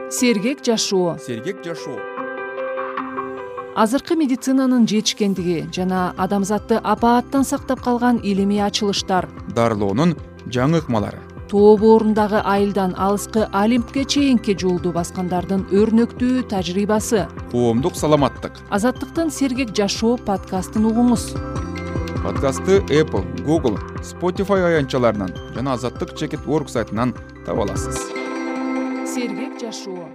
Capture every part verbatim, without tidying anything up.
Сергек жашоо. Сергек жашоо. Азыркы медицинанын жетишкендиги жана адамзатты апааттан сактап калган илимий ачылыштар, дарылоонун жаңы ыкмалары, тоо боорундагы айылдан алыскы Олимпке чейинки жолду баскандардын өрнөктүү тажрыйбасы. Коомдук саламаттык. Азаттыктын Сергек жашоо подкастын угуңуз. Подкастты Apple, Google, Spotify аянтчаларынан жана Азаттык чекит точка орг сайтынан таба аласыз. Сергек жашоо.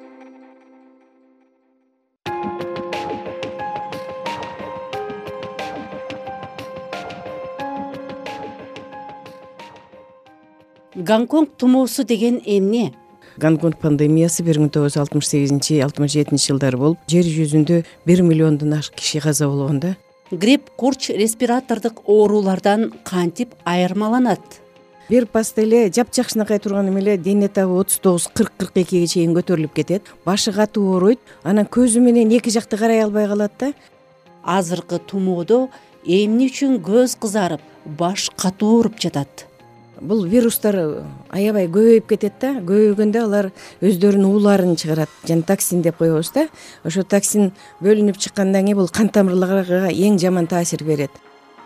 Гонконг тумоосу деген эмне? Гонконг пандемиясы бир миң тогуз жүз алтымыш сегизинчи — алтымыш жетинчи жылдары болуп, жер жүзүндө бир миллиондон ашык киши каза болгонда. Грипп, курч, респиратордук оорулардан кантип айырмаланат? Бир паста эле жапжакшынакай турган эмеле дене табы отуз тогуз кырк кырк экиге чейин көтөрүлүп кетет. Башы катуу ооруйт, анан көзү менен эки жакты карай албай калат да. Азыркы тумоодо эмне үчүн көз кызарып, баш катуу ооруп жатат? Бул вирустар аябай көбөйүп кетет да. Көбөйгөндө алар өздөрүнүн ууларын чыгарат. Жана токсин деп коебуз да. Ошо токсин бөлүнүп чыккандан кийин бул кан тамырларга эң жаман таасир берет.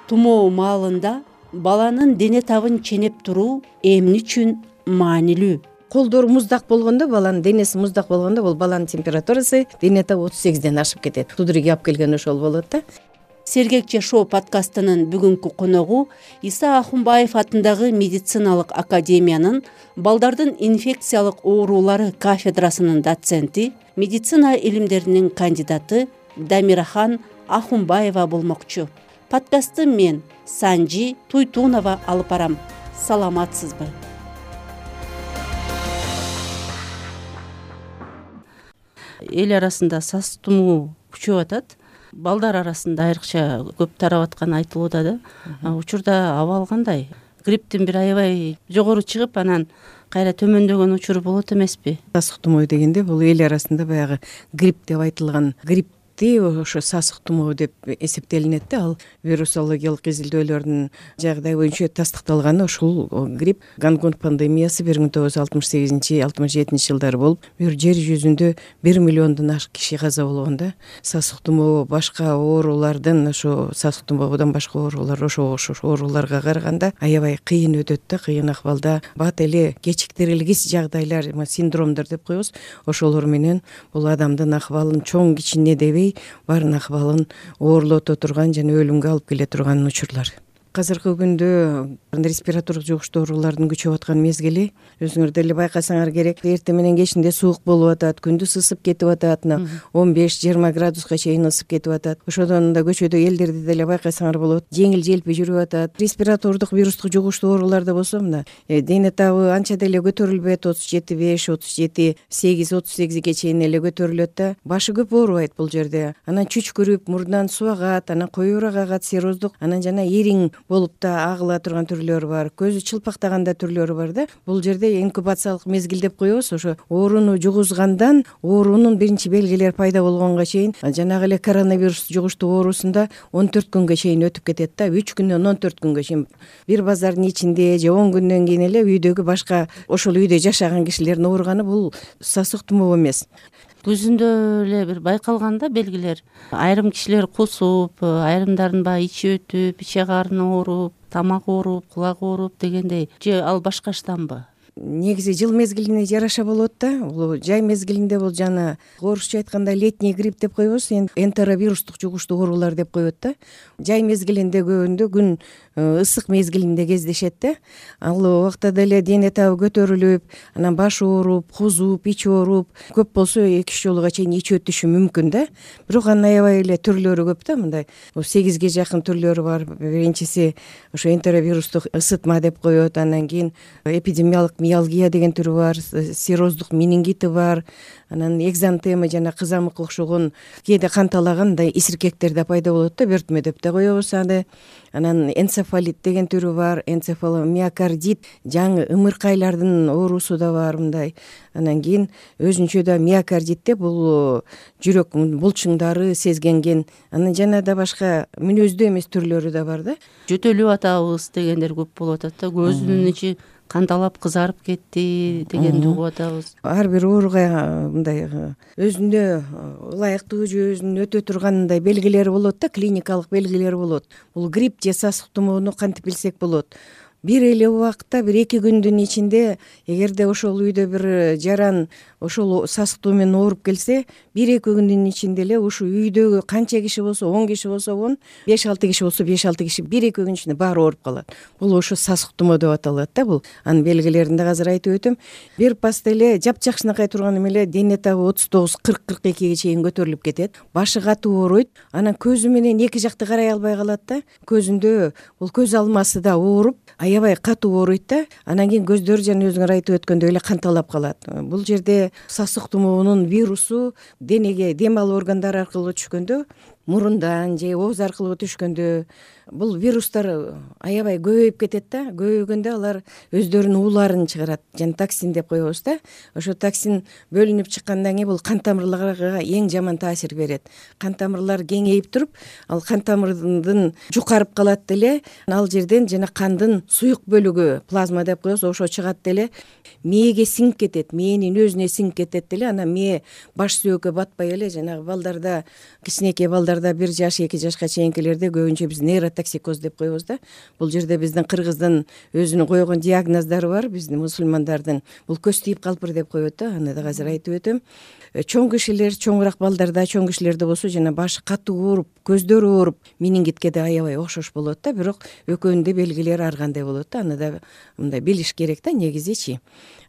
Тумоо маалында баланын дене табын ченеп туруу эмне үчүн маанилүү? Колдору муздак болгондо, баланын денеси муздак болгондо, бул баланын температурасы дене табы отуз сегизден ашып кетет. Тудуруги алып келген ошол болот да. Сергек жашоо подкастынын бүгүнкү коногу Иса Ахунбаев атындагы медициналык академиянын балдардын инфекциялык оорулары кафедрасынын доценти, медицина илимдеринин кандидаты Дамирахан Ахунбаева болмокчу. Подкастты мен, Санжи Туйтунова алып барам. Саламатсызбы? Эл арасында сас тумоо күчөп атат. Балдар арасында айрыкча көп тарап атканы айтылууда да. Учурда абал кандай? Грипптин бир аябай жогору чыгып, анан кайра төмөндөгөн учуру болот эмеспи? Сасык тумоо дегенде бул эл арасында баягы грипп деп айтылган грипп ошо сасык тумоо деп эсептелинет да. Ал вирусологиялык изилдөөлөрдүн жагдай боюнча тастыкталганы ушул грипп. Гонконг пандемиясы бир миң тогуз жүз алтымыш сегизинчи — алтымыш жетинчи жылдары болуп, бир жер жүзүндө бир миллиондон ашык киши каза болгондо, сасык тумоо башка оорулардын, ошо сасык тумоодон башка оорулар ошо окшош ооруларга караганда аябай кыйын өтөт да, кыйын акыбалда. Бат эле кечиктирилгис жагдайлар, синдромдор деп коебуз. Ошолор менен бул адамдын акыбалын чоң кичине дебей баарын акыбалын оорлото турган жана өлүмгө алып келе турган учурлар. Азыркы күндө респиратордук жугуштуу оорулардын күчөп аткан мезгили. Өзүңөр деле байкасаңар керек. Эртең менен кечинде суук болуп атат, күндүз ысып кетип атат, он беш жыйырма градуска чейин ысып кетип атат. Ошодон да көчөдө элдерди деле байкасаңар болот. Жеңил желпи жүрүп атат. Респиратордук вирустук жугуштуу ооруларда болсо мына дене табы анча деле көтөрүлбөйт. отуз жети беш, отуз жети сегиз, отуз сегизге чейин эле көтөрүлөт да. Башы көп оорубайт бул жерде. Анан чүчкүрүп, мурундан суу агат, анан коюураак агат, сероздук, анан жана ириң болуп да агыла турган түрлөрү бар. Көзү чылпактаганда түрлөрү бар да. Бул жерде инкубациялык мезгил деп коебуз. Ошо ооруну жугузгандан оорунун биринчи белгилери пайда болгонго чейин, жанагы эле коронавирус жугуштуу оорусунда он төрт күнгө чейин өтүп кетет да. үч күндөн он төрт күнгө чейин. Бир базардын ичинде же он күндөн кийин эле үйдөгү башка ошол үйдө жашаган кишилердин ооруганы бул сасык тумоо эмес. Көзүндө эле бир байкалганда белгилер. Айрым кишилер кусуп, айрымдардын баягы ичи өтүп, иче карны ооруп, тамак ооруп, кулак ооруп дегендей. Же ал башка штамбы? Негизи жыл мезгилине жараша болот да. Бул жай мезгилинде бул жана орусча айтканда летний грипп деп коебуз, энтеровирустук жугуштуу оорулар деп коет да. Жай мезгилинде көбүндө күн ысык мезгилинде кездешет да. Ал убакта деле дене табы көтөрүлүп, анан баш ооруп, кузуп, ич ооруп, көп болсо эки үч жолуга чейин ич өтүшү мүмкүн да. Бирок анын аябай эле түрлөрү көп да. Мындай сегизге жакын түрлөрү бар. Биринчиси ошо энтеровирустук ысытма деп коет, анан кийин эпидемиялык миалгия деген түрү бар, сероздук менингити бар, анан экзантема жана кызамыкка окшогон кээде канталаган мындай исиркектер да пайда болот да, бөртмө деп да коебуз аны. Анан энцефалит деген түрү бар, энцефаломиокардит, жаңы ымыркайлардын оорусу да бар мындай. Анан кийин өзүнчө да миокардитте бул жүрөк булчуңдары сезгенген. Анан жана да башка мүнөздүү эмес түрлөрү да бар да. Жөтөлүп атабыз дегендер көп болуп атат да. Көзүнүн ичи канталап кызарып кетти дегенди угуп атабыз. Ар бир ооруга мындай өзүнө ылайыктуу же өзүн өтө турган мындай белгилери болот да, клиникалык белгилери болот. Бул грипп же сасык тумоону кантип билсек болот? Бир эле убакытта бир эки күндүн ичинде эгерде ошол үйдө бир жаран ошол сасык туу менен ооруп келсе, бир эки күндүн ичинде эле ушу үйдөгү канча киши болсо, он киши болсо он, беш алты киши болсо беш алты киши бир эки күн ичинде баары ооруп калат. Бул ошо сасык тумоо деп аталат да бул. Анын белгилерин да азыр айтып өтөм. Бир паста эле жапжакшынакай турган эле дене табы отуз тогуз кырк кырк экиге чейин көтөрүлүп кетет. Башы катуу ооруйт. Анан көзү менен эки жакты карай албай калат да. Көзүндө бул көз алмасы да ооруп, аябай катуу ооруйт да. Анан кийин көздөрү жана өзүңөр айтып өткөндөй эле канталап калат. Бул жерде сасык тумоонун вирусу денеге дем алуу органдары аркылуу түшкөндө, мурундан же ооз аркылуу түшкөндө бул вирустар аябай көбөйүп кетет да. Көбөйгөндө алар өздөрүнүн ууларын чыгарат, жана токсин деп коебуз да. Ошо токсин бөлүнүп чыккандан кийин бул кан тамырларга эң жаман таасир берет. Кан тамырлар кеңейип туруп, ал кан тамырдын жукарып калат деле, ал жерден жана кандын суюк бөлүгү, плазма деп коебуз, ошо чыгат деле, мээге сиңип кетет, мээнин өзүнө сиңип кетет деле. Анан мээ баш сөөккө батпай эле жанагы балдарда, кичинекей балдарда бир жаш эки жашка чейинкилерде көбүнчө биз нейротоксикоз деп коебуз да. Бул жерде биздин кыргыздын өзүнүн койгон диагноздору бар, биздин мусулмандардын. Бул көз тийип калпыр деп коет да. Аны да азыр айтып өтөм. Чоң кишилер, чоңураак балдарда, чоң кишилерде болсо жана башы катуу ооруп, көздөрү ооруп, менингитке да аябай окшош болот да. Бирок экөөнүн да белгилери ар кандай болот да. Аны да мындай билиш керек да негизичи.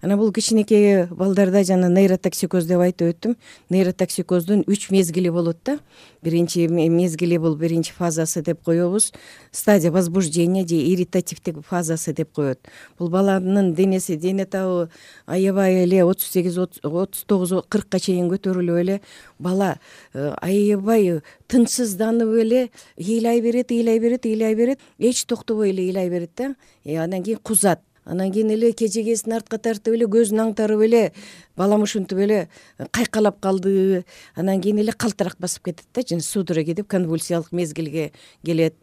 Анан бул кичинекей балдарда жана нейротоксикоз деп айтып өттүм. Нейротоксикоздун үч мезгили болот да. Биринчи мезгили бул биринчи фазасы деп коебуз. Стадия возбуждения же ирритативдик фазасы деп коет. Бул баланын денеси, дене табы аябай эле отуз сегиз отуз тогуз кыркка чейин көтөрүлүп эле бала аябай тынчсызданып эле ыйлай берет, ыйлай берет, ыйлай берет, эч токтобой эле ыйлай берет да. Анан кийин кузат. Анан кийин эле кежегесин артка тартып эле көзүн аңтарып эле балам ушинтип эле кайкалап калды. Анан кийин эле калтырак басып кетет да, жана судорога деп конвульсиялык мезгилге келет.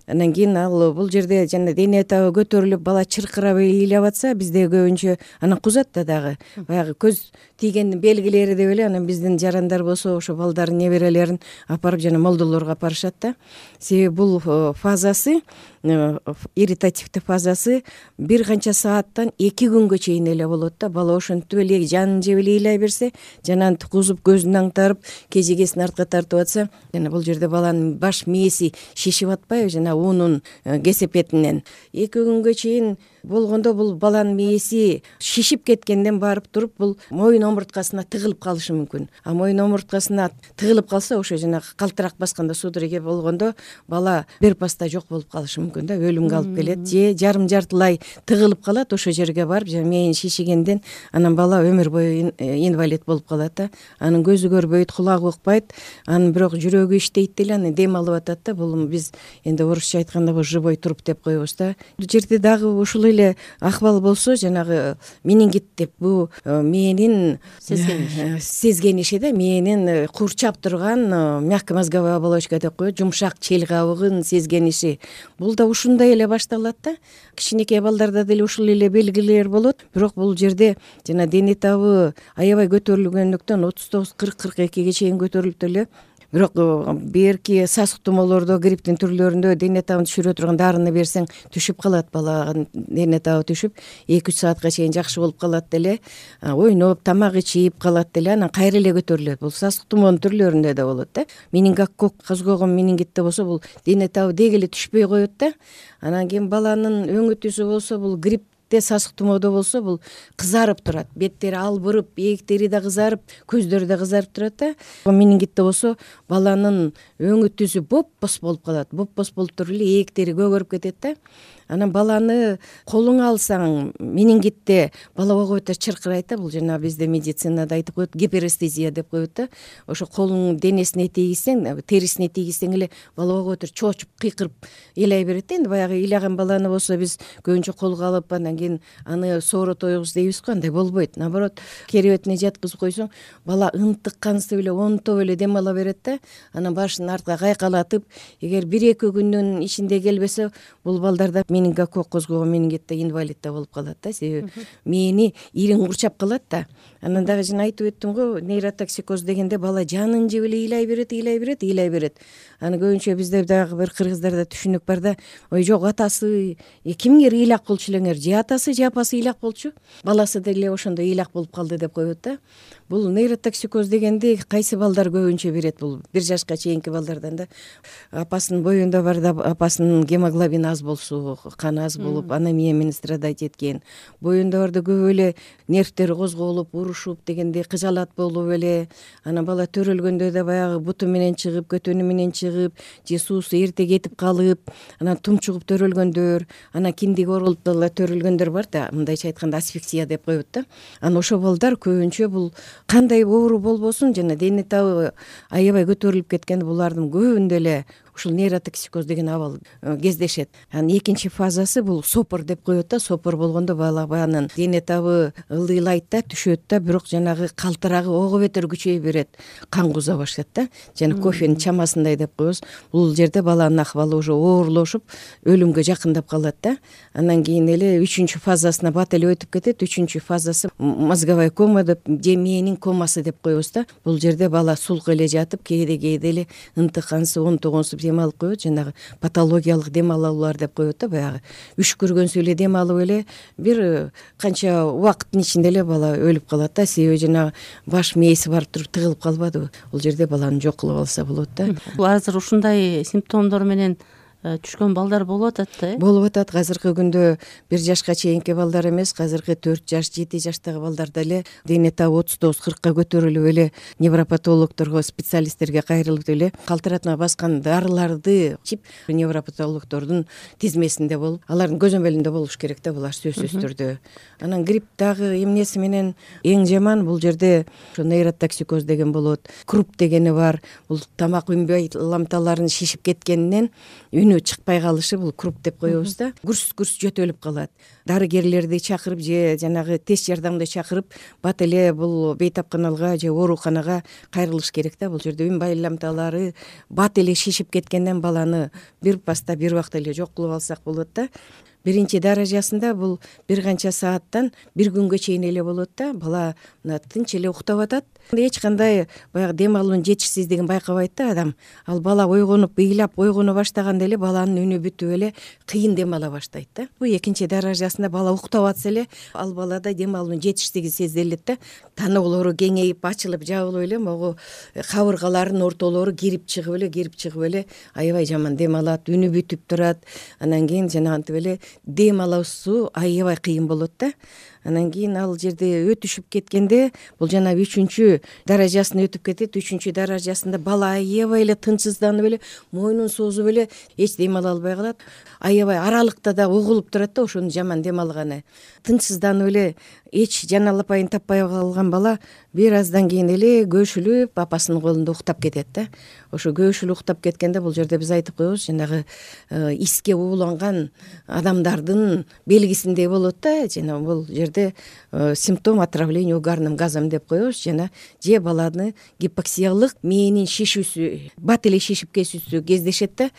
Анан кийин ал бул жерде жана дене табы көтөрүлүп бала чыркырап ыйлап атса, бизде көбүнчө анан кузат да дагы. Баягы көз тийгендин белгилери деп эле анан биздин жарандар болсо ошо балдарын, неберелерин апарып жана молдолорго апарышат да. Себеби бул фазасы, ирритативдик фазасы бир канча сааттан эки күнгө чейин эле болот да. Бала ошентип эле жанын жеп эле ыйлай берсе, жана кузуп көзүн аңтарып, кежегесин артка тартып атса, жана бул жерде баланын баш мээси шишип атпайбы, жана уунун кесепетинен эки күнгө чейин болгондо бул баланын мээси шишип кеткенден барып туруп бул моюн омурткасына тыгылып калышы мүмкүн. А моюн омурткасына тыгылып калса, ошо жанагы калтырак басканда, судорога болгондо бала бир паста жок болуп калышы мүмкүн да, өлүмгө алып келет. Же жарым жартылай тыгылып калат, ошо жерге барып жана мээнин шишигенден анан бала өмүр бою инвалид болуп калат да. Анын көзү көрбөйт, кулагы укпайт, анын бирок жүрөгү иштейт деле, анан дем алып атат да. Бул биз энди орусча айтканда бул живой труп деп коебуз да. Бул жерде дагы ушул эле акыбал болсо, жанагы менингит деп, бул мээнин сезгениши сезгениши да, мээнин курчап турган мягкомозговая оболочка деп коет, жумшак чел кабыгын сезгениши. Бул да ушундай эле башталат да. Кичинекей балдарда деле ушул эле белгилер болот. Бирок бул жерде жана дене табы аябай көтөрүлгөндүктөн отуз тогуз кырк кырк экиге чейин көтөрүлүп деле. Бирок берки сасык тумоолордо, грипптин түрлөрүндө дене табын түшүрө турган дарыны берсең түшүп калат, баланын дене табы түшүп эки үч саатка чейин жакшы болуп калат деле, ойноп, тамак ичип калат деле, анан кайра эле көтөрүлөт. Бул сасык тумоонун түрлөрүндө да болот да. Менингококк козгогон менингитте болсо бул дене табы деги эле түшпөй коет да. Анан кийин баланын өңү түсү болсо, бул грипп сасык тумоодо болсо бул кызарып турат, беттери албырып, ээктери да кызарып, көздөрү да кызарып турат да. Менингитте болсо баланын өңү түсү боп-боз болуп калат, боп-боз болуп туруп эле ээктери көгөрүп кетет да. Анан баланы колуңа алсаң, менингитте бала койгойто чыркырайт да. Бул жана бизде медицинада айтып коет, гиперестезия деп коет да. Ошо колуңдун денесине тийгизсең, терисине тийгизсең эле бала койгойто чоочуп, кыйкырып ыйлай берет да. Энди баягы ыйлаган баланы болсо биз көбүнчө колго алып, анан кийин аны соорот ойгуз дейбиз го, андай болбойт. Наоборот, керебетине жаткызып койсоң, бала ынтык кансып эле, онтоп эле дем ала берет да. Анан башын артка кайкалатып, эгер бир эки күндүн ичинде келбесе, бул балдарда менингококк козгогон менингитте инвалид да болуп калат да, себеби мээни ириң курчап калат да. Анан дагы жана айтып өттүм го, нейротоксикоз дегенде бала жанын жеп эле ыйлай берет, ыйлай берет, ыйлай берет. Аны көбүнчө бизде дагы бир кыргыздарда түшүнүк бар да, ой жок атасы кимгер ыйлак болчу элеңер, же атасы же апасы ыйлак болчу, баласы деле ошондой ыйлак болуп калды деп коет да. Бул нейротоксикоз дегенди кайсы балдар көбүнчө берет, бул бир жашка чейинки балдардан да. Апасынын боюнда бар да, апасынын гемоглобин аз болсо, кан аз болуп, анемия менен страдать эткен. Боюнда барда көп эле нервтери козголуп, урушуп дегенде кыжалат болуп эле, анан бала төрөлгөндө да баягы буту менен чыгып, көтөнү менен чыгып, же суусу эрте кетип калып, анан тумчугуп төрөлгөндөр, анан киндиги оролуп дагы төрөлгөндөр бар да, мындайча айтканда асфиксия деп коет да. Анан ошол балдар көбүнчө бул кандай оору болбосун жана дене табы аябай көтөрүлүп кеткенде булардын көбүндө эле ушул нейротоксикоз деген абал кездешет. Анан экинчи фазасы бул сопор деп коет да. Сопор болгондо бала баянын дене табы ылдыйлайт да, түшөт да, бирок жанагы калтырагы ого бетер күчөйө берет, кан куза баштайт да. Жана кофенин чамасындай деп коебуз. Бул жерде баланын акыбалы уже оорлошуп, өлүмгө жакындап калат да. Анан кийин эле үчүнчү фазасына бат эле өтүп кетет. Үчүнчү фазасы мозговая кома деп, же мээнин комасы деп коебуз да. Бул жерде бала сулк эле жатып, кээде кээде эле ынтыкансып, онтогонсуп дем алып коет, жанагы патологиялык дем алуулар деп коет да, баягы үшкүргөнсү эле дем алып эле бир канча убакыттын ичинде эле бала өлүп калат да, себеби жанагы баш мээси барып туруп тыгылып калбадыбы. Бул жерде баланы жок кылып алса болот да. Азыр ушундай симптомдор менен түшкөн балдар болуп атат да, э? Болуп атат. Азыркы күндө бир жашка чейинки балдар эмес, азыркы төрт жаш, жети жаштагы балдар деле дене табы отуз тогуз кыркка көтөрүлүп эле невропатологдорго, специалисттерге кайрылып эле калтыратма баскан дарыларды ичип невропатологдордун тизмесинде болуп, алардын көзөмөлүндө болуш керек да, булар сөзсүз түрдө. Анан грипп дагы эмнеси менен эң жаман, бул жерде ошо нейротоксикоз деген болот. Круп дегени бар. Бул тамак үнбөй ламталарын шишип кеткенинен үнү чыкпай калышы, бул круп деп коебуз да. Гүрс-гүрс жөтөлүп калат. Дарыгерлерди чакырып же жанагы тез жардамды чакырып, бат эле бул бейтапканалга же ооруканага кайрылыш керек да. Бул жерде үн байламталары бат эле шишип кеткенден баланы бир паста бир убакта эле жок кылып алсак болот да. Биринчи даражасында бул бир канча сааттан бир күнгө чейин эле болот да. Бала мына тынч эле уктап атат. Эч кандай баягы дем алуунун жетишсиздигин байкабайт да адам. Ал бала ойгонуп, ыйлап ойгоно баштаганда эле баланын үнү бүтүп эле кыйын дем ала баштайт да. Бул экинчи даражасында бала уктап атса эле ал балада дем алуунун жетишсиздиги сезилет да. Таноолору кеңейип, ачылып, жабылып эле могу кабыргаларынын ортолору кирип чыгып эле, кирип чыгып эле аябай жаман дем алат, үнү бүтүп турат. Анан кийин жанагынтип эле дем алуусу аябай кыйын болот да. Анан кийин ал жерде өтүшүп кеткенде бул жана үчүнчү даражасын өтүп кетет. Үчүнчү даражасында бала аябай эле тынчсызданып эле, мойнун созуп эле эч дем ала албай калат. Аябай аралыкта да угулуп турат да, ошонун жаман дем алганы. Тынчсызданып эле эч жан алапайын таппай калган бала бир аздан кийин эле көшүлүп апасынын колунда уктап кетет да. Ошо көшүлүп уктап кеткенде бул жерде биз айтып коебуз, жанагы иске ууланган адамдардын белгисиндей болот да. Жана бул жерде симптом отравления угарным газом деп коебуз, жана же баланы гипоксиялык мээнин шишүүсү, бат эле шишип кетүүсү кездешет да.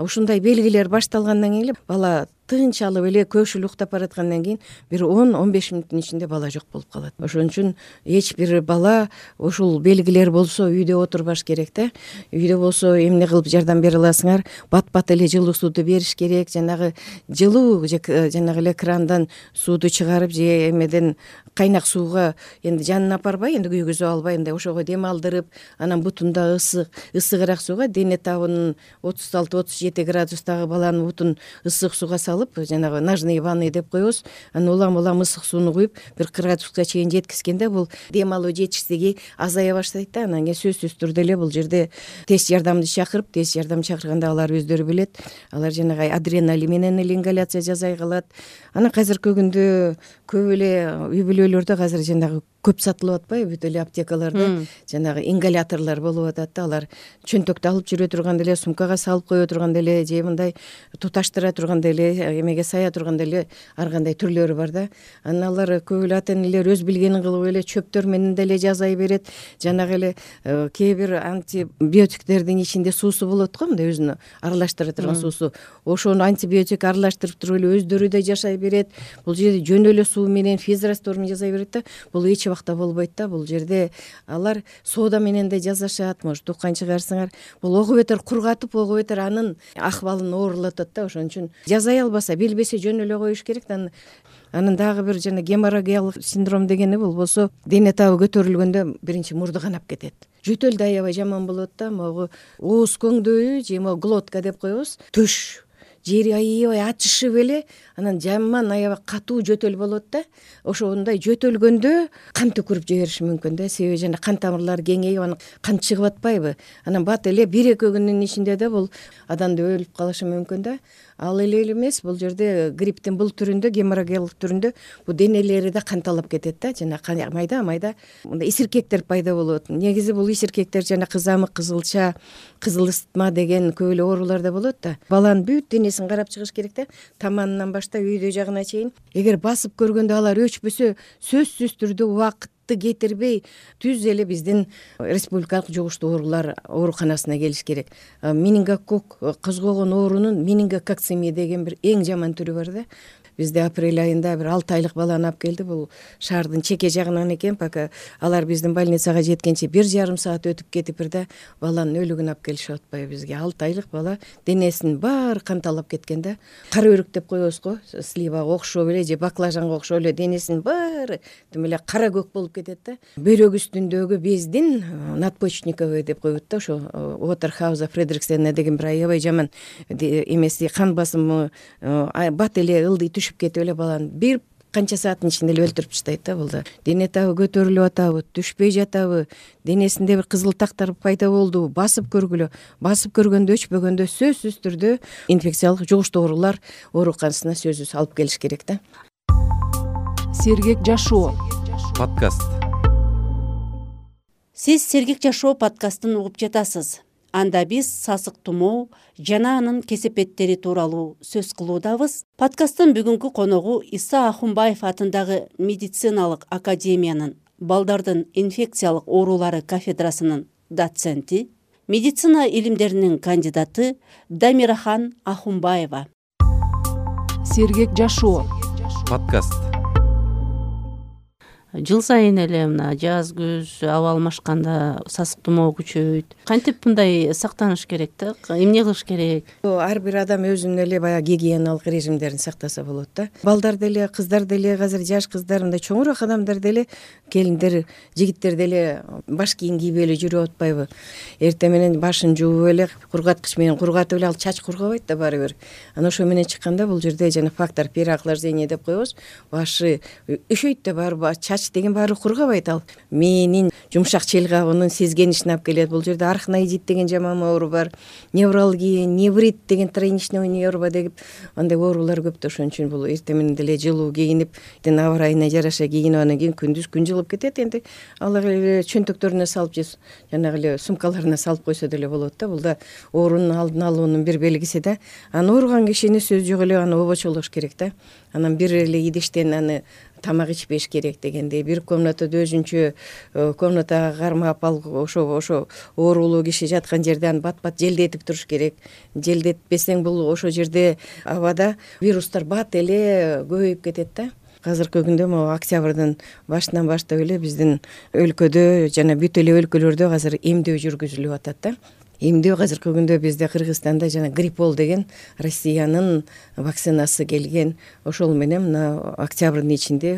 Ушундай белгилер башталгандан кийин эле бала тынч алып эле көшүлүп уктап бараткандан кийин бир он он беш мүнөттүн ичинде бала жок болуп калат. Ошон үчүн эч бир бала ушул белгилер болсо үйдө отурбаш керек да. Үйдө болсо эмне кылып жардам бере аласыңар? Бат-бат эле жылуу сууду бериш керек. Жанагы жылуу жанагы эле крандан сууду чыгарып же эмеден кайнак сууга энди жанын апарбай, энди күйгүзүп албай, мындай ошого дем алдырып, анан бутунда ысык, ысыгыраак сууга, дене табынын отуз алты отуз жети градустагы баланын бутун ысык сууга салып, жанагы ножные ванны деп коебуз. Анан улам-улам ысык сууну куюп, бир градуска чейин жеткизгенде бул дем алуу жетишсиздиги азая баштайт да. Анан кийин сөзсүз түрдө эле бул жерде тез жардамды чакырып, тез жардам чакырганда алар өздөрү билет. Алар жанагы адреналин менен эле ингаляция жасай калат. Анан азыркы күндө көп эле үй бүлөлөрдө азыр жанагы көп сатылып атпайбы, бүт эле аптекаларда жанагы ингаляторлор болуп атат да, алар чөнтөктү алып жүрө турганда эле, сумкага салып кое турганда эле, же мындай туташтыра турганда эле, эмеге сая турганда эле ар кандай түрлөрү бар да. Анан алар көп эле ата энелер өз билгенин кылып эле чөптөр менен деле жасай берет. Жанагы эле кээ бир антибиотиктердин ичинде суусу болот го, мындай өзүнө аралаштыра турган суусу. Ошону антибиотик аралаштырып туруп эле өздөрү да жашай берет. Бул жерде жөн эле суу менен физраствор менен жасай берет да. Бул эч убакта болбойт да. Бул жерде алар сода менен да жасашат, может уккан чыгарсыңар. Бул ого бетер кургатып, ого бетер анын акыбалын оорулатат да. Ошон үчүн жасай албаса, билбесе жөн эле коюш керек да. Анын дагы бир жана геморрагиялык синдром дегени болбосо, дене табы көтөрүлгөндө биринчи мурду канап кетет. Жөтөл да аябай жаман болот да. Могу ооз көңдөйү же могу глотка деп коебуз. Төш жери аябай ачышып эле, анан жаман аябай катуу жөтөл болот да. Ошондой жөтөлгөндө кан төкүрүп жибериши мүмкүн да. Себеби жана кан тамырлары кеңейип, анан кан чыгып атпайбы. Анан бат эле бир эки күндүн ичинде да бул адамды өлүп калышы мүмкүн да. Ал эле эмес, бул жерде грипптин бул түрүндө, геморрагиялык түрүндө бул денелери да канталап кетет да. Жана майда майда мындай исиркектер пайда болот. Негизи бул исиркектер жана кызамык, кызылча, кызыл ысытма деген көп эле оорулар да болот да. Баланын бүт денесин карап чыгыш керек да. Таманынан баштап үйдө жагына чейин. Эгер басып көргөндө алар өчпөсө, сөзсүз түрдө убакыт кетирбей түз эле биздин республикалык жугуштуу оорулар ооруканасына келиш керек. Менингококк козгогон оорунун менингококцемия деген бир эң жаман түрү бар да. Бизде апрель айында бир алты айлык баланы алып келди. Бул шаардын чеке жагынан экен, пока алар биздин больницага жеткенче бир жарым саат өтүп кетип бир да баланын өлүгүн алып келишип атпайбы бизге. алты айлык бала денесинин баары канталап кеткен да. Кара өрүк деп коебуз го, сливага окшоп эле же баклажанга окшоп эле денесинин баары тим эле кара көк болуп кетет да. Бөйрөк үстүндөгү бездин надпочечниковый деп коет да, ошо Уотерхауза Фредриксена деген бир аябай жаман эмеси, кан басымы бат эле ылдый түшүп кетип эле баланы бир канча сааттын ичинде эле өлтүрүп таштайт да. Булда дене табы көтөрүлүп атабы, түшпөй жатабы, денесинде бир кызыл тактар пайда болдубу, басып көргүлө. Басып көргөндө, өчпөгөндө сөзсүз түрдө инфекциялык жугуштуу оорулар ооруканасына сөзсүз алып келиш керек да. Сергек жашоо подкаст. Сиз Сергек жашоо подкастын угуп жатасыз. Анда биз сасык тумоо жана анын кесепеттери тууралуу сөз кылуудабыз. Подкасттын бүгүнкү коногу Иса Ахунбаев атындагы медициналык академиянын балдардын инфекциялык оорулары кафедрасынын доценти, медицина илимдеринин кандидаты Дамирахан Ахунбаева. Сергек жашоо подкаст. Жыл сайын эле мына жаз, күз аба алмашканда сасык тумоо күчөйт. Кантип мындай сактаныш керек да? Эмне кылыш керек? Ар бир адам өзүнүн эле баягы гигиеналык режимдерин сактаса болот да. Балдар деле, кыздар деле, азыр жаш кыздар, мындай чоңураак адамдар деле, келиндер, жигиттер деле баш кийим кийбей эле жүрүп атпайбы? Эртең менен башын жууп эле, кургаткыч менен кургатып эле, ал чач кургабайт да баары бир. Анан ошо менен чыкканда бул жерде жана фактор переохлаждения деп коебуз. Башы өшөйт да баары чач деген баары кургабайт, ал мээнин жумшак челгабынын сезгенишине алып келет. Бул жерде арахноидит деген жаман оору бар, невралгия, неврит деген тройничный нерва деп андай оорулар көп да. Ошон үчүн бул эртең менен деле жылуу кийинип, аба ырайына жараша кийинип, анан кийин күндүз күн жылып кетет. Энди алар эле чөнтөктөрүнө салып же жанагы эле сумкаларына салып койсо деле болот да. Бул да оорунун алдын алуунун бир белгиси да. Анан ооруган кишини сөз жок эле аны обочолош керек да. Анан бир эле идиштен аны тамак ичпеш керек дегендей, бир комнатада өзүнчө комнатага кармап, ал ошо ошо оорулуу киши жаткан жерде аны бат-бат желдетип туруш керек. Желдетпесең бул ошо жерде абада вирустар бат эле көбөйүп кетет да. Азыркы күндө могу октябрдын башынан баштап эле биздин өлкөдө жана бүт эле өлкөлөрдө азыр эмдөө жүргүзүлүп атат да. Эмдөө азыркы күндө бизде Кыргызстанда жана Гриппол деген Россиянын вакцинасы келген. Ошол менен мына октябрдын ичинде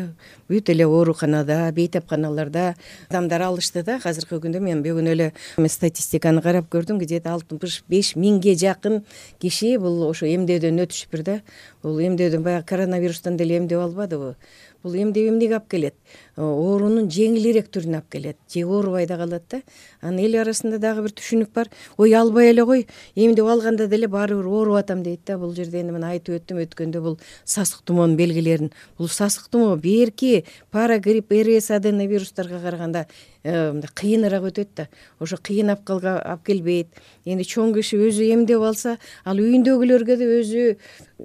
бүт эле ооруканада, бейтапканаларда адамдар алышты да. Азыркы күндө мен бүгүн эле статистиканы карап көрдүм, где-то алтымыш беш миңге жакын киши бул ошо эмдөөдөн өтүшүптүр да. Бул эмдөөдөн баягы коронавирустан деле эмдеп албадыбы? бул эмдеп эмнеге алып келет, оорунун жеңилирээк түрүнө алып келет же оорубай да калат да. Анан эл арасында дагы бир түшүнүк бар, ой албай эле кой, эмдеп алганда деле баары бир ооруп атам дейт да. Бул жерде эми мына айтып өттүм өткөндө, бул сасык тумоонун белгилерин. Бул сасык тумоо берки парагрипп, РС аденовирустарга караганда мындай кыйыныраак өтөт да. Ошо кыйын абкалга алып келбейт. Эми чоң киши өзү эмдеп алса, ал үйүндөгүлөргө да өзү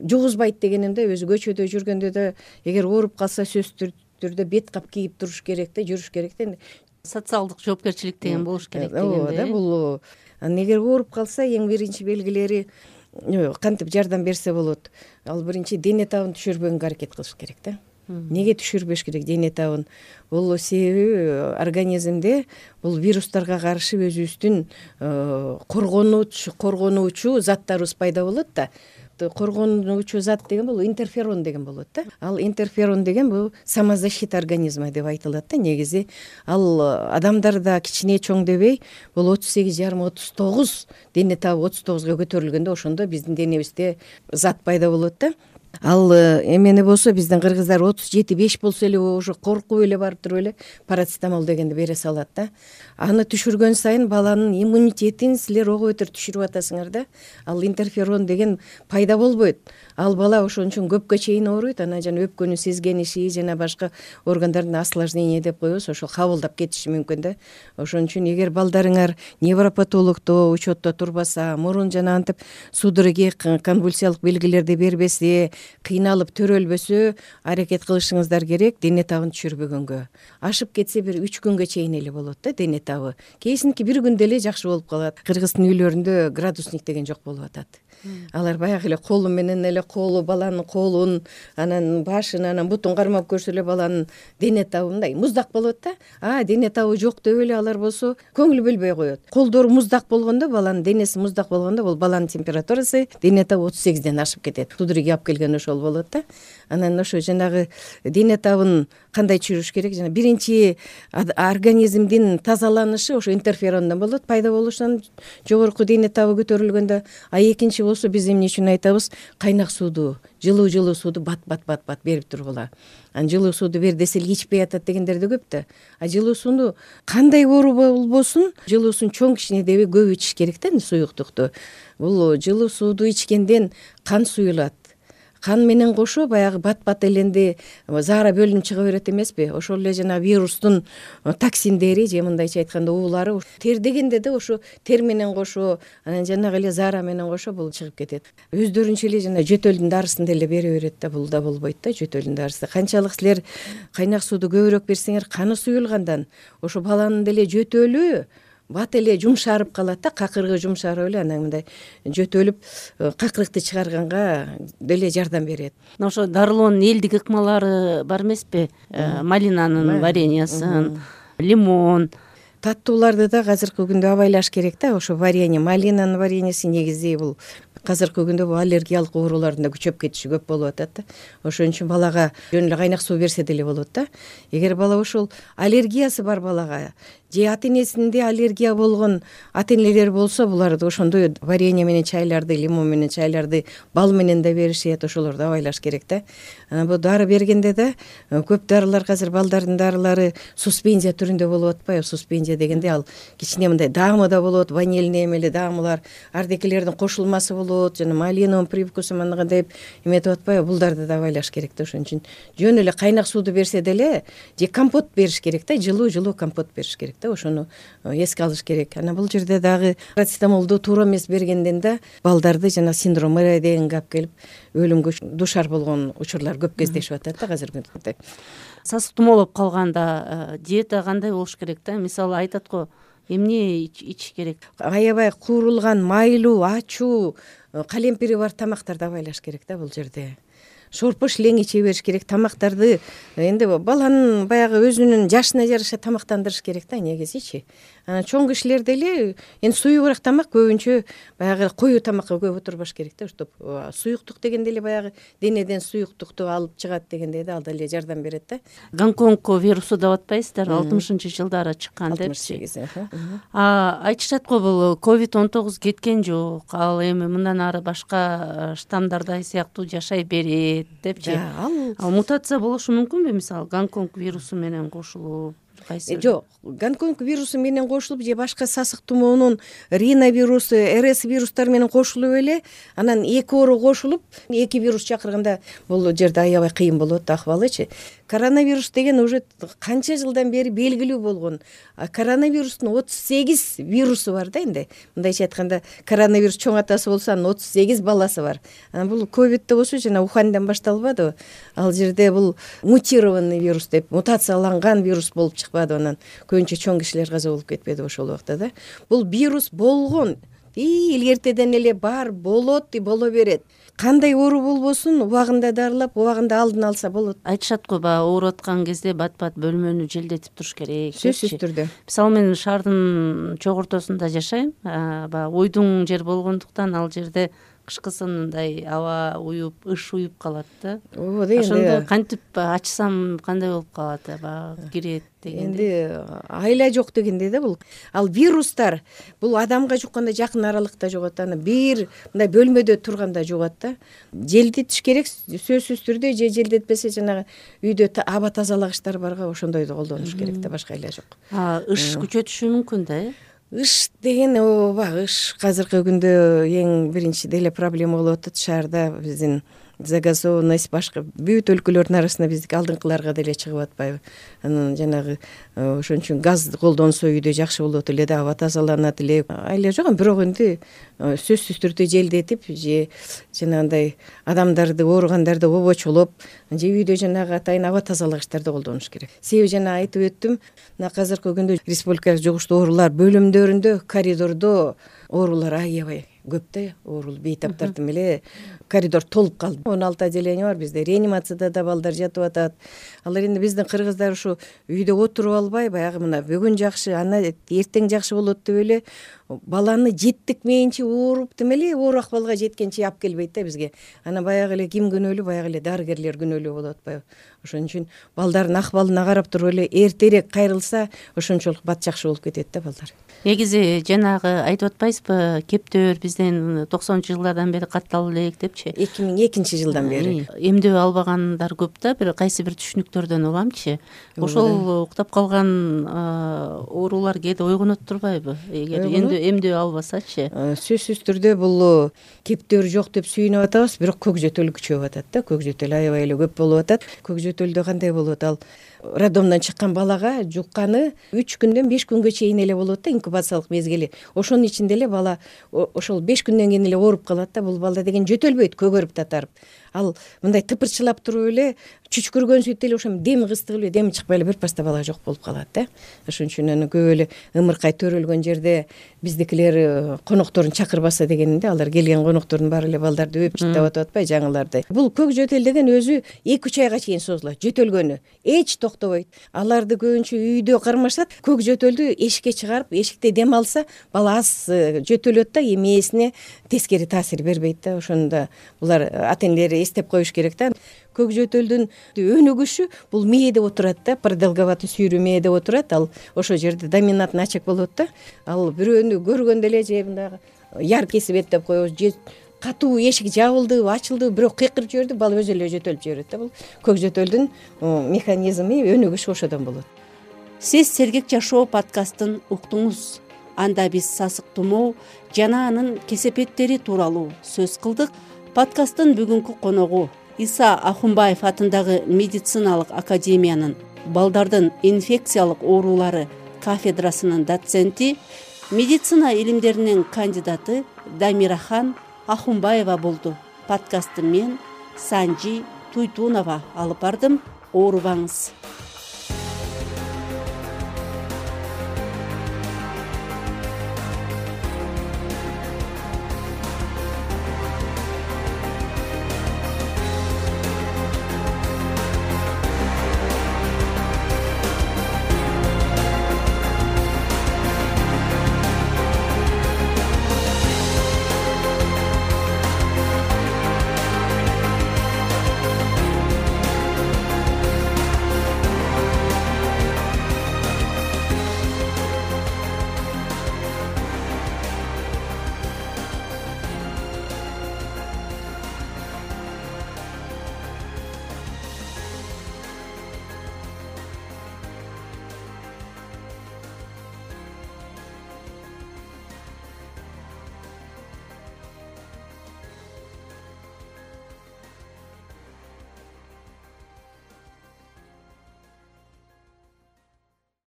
жугузбайт дегеним да. Өзү көчөдө жүргөндө да эгер ооруп калса сөзсүз түрдө бет кап кийип туруш керек да, жүрүш керек да. Социалдык жоопкерчилик деген болуш керек дегенде. Ооба да, бул анан эгер ооруп калса эң биринчи белгилери кантип жардам берсе болот. Ал биринчи дене табын түшүрбөгөнгө аракет кылыш керек да. Неге түшүрбөш керек дене табын? Бул себеби организмде бул вирустарга каршы өзүбүздүн коргонуучу коргонуучу заттарыбыз пайда болот да. Коргонуучу зат деген бул интерферон деген болот да. Ал интерферон деген бул самозащита организма деп айтылат да. Негизи ал адамдарда кичине чоң дебей, бул отуз сегиз жарым отуз тогуз, дене табы отуз тогузга көтөрүлгөндө ошондо биздин денебизде зат пайда болот да. Ал эмени болсо биздин кыргыздар отуз жети беш болсо эле ошо коркуп эле барып туруп эле парацетамол дегенди бере салат да. Аны түшүргөн сайын баланын иммунитетин силер ого бетер түшүрүп атасыңар да. Ал интерферон деген пайда болбойт. Ал бала ошон үчүн көпкө чейин ооруйт. Анан жана өпкөнүн сезгениши жана башка органдардын осложнение деп коебуз, ошол кабылдап кетиши мүмкүн да. Ошон үчүн эгер балдарыңар невропатологдо учетто турбаса, мурун жана антип судороги конвульсиялык белгилерди бербесе, кыйналып төрөлбөсө, аракет кылышыңыздар керек дене табын түшүрбөгөнгө. Ашып кетсе бир үч күнгө чейин эле болот да дене табы. Кээсинки бир күндө эле жакшы болуп калат. Кыргыздын үйлөрүндө градусник деген жок болуп атат. Алар баягы эле колу менен эле колу баланын колун, анан башын, анан бутун кармап көрсө эле баланын дене табы мындай муздак болот да. А дене табы жок деп эле алар болсо көңүл бөлбөй коет. Колдору муздак болгондо, баланын денеси муздак болгондо, бул баланын температурасы дене табы отуз сегизден ашып кетет. Судороги алып келген ошол болот да. Анан ошо жанагы дене табын кандай түшүрүш керек? Жана биринчи организмдин тазаланышы ошо интерферондон болот, пайда болушунан жогорку дене табы көтөрүлгөндө. А экинчи болсо биз эмне үчүн айтабыз? Кайнак сууду, жылуу жылуу сууду бат бат бат бат берип тургула. Анан жылуу сууду бер десе эле ичпей атат дегендер да көп да. А жылуу сууну кандай оору болбосун, жылуу суун чоң кичине дебей көп ичиш керек да, суюктукту. Бул жылуу сууду ичкенден кан суюлат. Кан менен кошо баягы бат-бат эленди заара бөлүнүп чыга берет эмеспи? Ошол эле жана вирустун токсиндери же мындайча айтканда уулары тер дегенде да ошо тер менен кошо, анан жанагы эле заара менен кошо бул чыгып кетет. Өздөрүнчө эле жана жөтөлдүн дарысын деле бере берет да, бул да болбойт да, жөтөлдүн дарысы. Канчалык силер кайнак сууду көбүрөөк берсеңер, каны суюлгандан ошо баланын деле жөтөлү бат эле жумшарып калат да, какырыгы жумшарып эле анан мындай жөтөлүп какырыкты чыгарганга деле жардам берет. Ошо дарылоонун элдик ыкмалары бар эмеспи? Малинанын вареньясын, лимон. Таттууларды да азыркы күндө абайлаш керек да. Ошо варенье, малинанын вареньеси негизи бул азыркы күндө бул аллергиялык оорулардын да күчөп кетиши көп болуп атат да. Ошон үчүн балага жөн эле кайнак суу берсе деле болот да. Эгер бала ошол аллергиясы бар балага же ата энесинде аллергия болгон ата энелер болсо, буларды ошондой варенье менен чайларды, лимон менен чайларды бал менен да беришет, ошолорду абайлаш керек да. Анан бул дары бергенде да көп дарылар, азыр балдардын дарылары суспензия түрүндө болуп атпайбы? Суспензия дегенде ал кичине мындай даамы да болот, ванильный эмеле даамылар, ардекелердин кошулмасы болот, жана малиновый привкусу мындай деп эметип атпайбы? Булдарды да абайлаш керек да. Ошон үчүн жөн эле кайнак сууду берсе деле же компот бериш керек да, жылуу-жылуу компот бериш керек. Ошону эске алыш керек. Анан бул жерде дагы парацетамолду туура эмес бергенден да балдарды жана синдром Мэрайдегенге алып келип өлүмгө душар болгон учурлар көп кездешип атат да азыркы күндө. Сасык тумоолоп калганда диета кандай болуш керек да? Мисалы айтат го, эмне ичиш керек? Аябай куурулган, майлуу, ачуу, калемпири бар тамактарды абайлаш керек да бул жерде. Шорпо шилең иче бериш керек. Тамактарды энди баланын баягы өзүнүн жашына жараша тамактандырыш керек да негизичи. Анан чоң кишилер деле эми суюгураак тамак көбүнчө баягы коюу тамакка көп отурбаш керек да. Чтоб суюктук дегенде эле баягы денеден суюктукту алып чыгат дегенде да, ал деле жардам берет да. Гонконг вирусу деп атпайсыздар, алтымышынчы жылдары чыккан депчи. алтымыш сегиз. А айтышат го бул ковид он тогуз кеткен жок. Ал эми мындан ары башка штаммдардай сыяктуу жашай берет. келет депчи. ал ал мутация болушу мүмкүнбү, мисалы Гонконг вирусу менен кошулуп? Жок, Гонконг вирусу менен кошулуп же башка сасык тумоонун риновирусу, РС вирустары менен кошулуп эле анан эки оору кошулуп эки вирус чакырганда бул жерде аябай кыйын болот акыбалычы. Коронавирус деген уже канча жылдан бери белгилүү болгон. Коронавирустун отуз сегиз вирусу бар да энди. Мындайча айтканда, коронавирус чоң атасы болсо анын отуз сегиз баласы бар. Анан бул ковидте болсо жана Уханьдан башталбадыбы? Ал жерде бул мутированный вирус деп, мутацияланган вирус болуп чыкпады, анан көбүнчө чоң кишилер каза болуп кетпеди ошол убакта да. Бул вирус болгон. И илгертеден эле бар, болот и боло берет. Кандай оору болбосун, убагында дарылап, убагында алдын алса болот. Айтышат го, баягы ооруп аткан кезде бат-бат бөлмөнү желдетип туруш керек. Сөзсүз түрдө. Мисалы мен шаардын чок ортосунда жашайм. Баягы ойдуң жер болгондуктан ал жерде кышкысын мындай аба уюп, ыш уюп калат да. Ошондо кантип ачсам кандай болуп калат, баягы кирет дегенде. Энди айла жок дегенде да бул. Ал вирустар бул адамга жукканда жакын аралыкта жугат, аны бир мындай бөлмөдө турганда жугат да. Желдетиш керек сөзсүз түрдө, же желдетпесе жанагы үйдө аба тазалагычтар барга ошондойду колдонуш керек да, башка айла жок. А ыш күчөтүшү мүмкүн да, э? Ыш деген ооба, ыш азыркы күндө эң биринчи деле проблема болуп атат шаарда. Биздин загазованность башка бүт өлкөлөрдүн арасында биздики алдыңкыларга деле чыгып атпайбы. Анан жанагы ошон үчүн газ колдонсо үйдө жакшы болот эле да, аба тазаланат эле. Айла жок, бирок энди сөзсүз түрдө желдетип же жанагындай адамдарды, ооругандарды обочолоп, же үйдө жанагы атайын аба тазалагычтарды колдонуш керек. Себеби жана айтып өттүм, мына азыркы күндө республикалык жугуштуу оорулар бөлүмдөрүндө, коридордо оорулар аябай көп да, оорул бейтаптардын эле коридор толуп калды. он алты отделение бар бизде, реанимацияда да балдар жатып атат. Алар энди биздин кыргыздар ушу үйдө отуруп албай, баягы мына бүгүн жакшы, ана эртең жакшы болот деп эле баланы жеттик мейинчи ооруп демели оор акыбалга жеткенче алып келбейт да бизге. Анан баягы эле ким күнөөлүү, баягы эле дарыгерлер күнөөлүү болуп атпайбы. Ошон үчүн балдардын акыбалына карап туруп эле эртерээк кайрылса, ошончолук бат жакшы болуп кетет да балдар. Негизи жанагы айтып атпайсызбы, кептөө бизден токсонунчу жылдардан бери катталып элек депчи. эки миң экинчи жылдан бери. Эмдөө албагандар көп да, бир кайсы бир түшүнүктөрдөн угамчы. Ошол уктап калган оорулар кээде ойгонот турбайбы? Эгер эмдөө албасачы? Сөзсүз түрдө бул кептөр жок деп сүйүнүп атабыз, бирок көкжөтөл күчөп атат да. Көкжөтөл аябай эле көп болуп атат. Көкжөтөлдө кандай болот? Ал роддомдон чыккан балага жукканы үч күндөн беш күнгө чейин эле болот да, инкубациялык мезгили. Ошонун ичинде эле бала ошол беш күндөн кийин эле ооруп калат да. Бул бала деген жөтөлбөйт, көгөрүп татарып. Ал мындай тыпырчылап туруп эле чүчкүргөн сүттө эле ошо дем кыстыгып эле дем чыкпай эле бир паста бала жок болуп калат да. Ошон үчүн аны көп эле ымыркай төрөлгөн жерде биздикилер конокторун чакырбаса дегенинде, алар келген коноктордун баары эле балдарды өп чыттап атып атпай жаңыларды. Бул көк жөтөл деген өзү эки үч айга чейин созулат, жөтөлгөнү эч токтобойт. Аларды көбүнчө үйдө кармашат, көк жөтөлдү эшикке чыгарып, эшикте дем алса, бала аз жөтөлөт да, эмесине тескери таасир бербейт да. Ошондо булар ата-энелер эстеп коюш керек да. Көк жөтөлдүн өнүгүшү бул мээде отурат да, продолговатый сүйрүү мээде отурат. Ал ошол жерде доминантный очаг болот да. Ал бирөөнү көргөндө эле же мындай яр кесип эт деп коебуз, же катуу эшик жабылды, ачылды, бирок кыйкырып жиберди, бала өзү эле жөтөлүп жиберет да. Бул көк жөтөлдүн механизми, өнүгүшү ошодон болот. Сиз Сергек жашоо подкастын уктуңуз. Анда биз сасык тумоо жана анын кесепеттери тууралуу сөз кылдык. Подкасттын бүгүнкү коногу Иса Ахунбаев атындагы медициналык академиянын балдардын инфекциялык оорулары кафедрасынын доценти, медицина илимдеринин кандидаты Дамирахан Ахунбаева болду. Подкастты мен Санжи Туйтунова алып бардым. Оорубаңыз.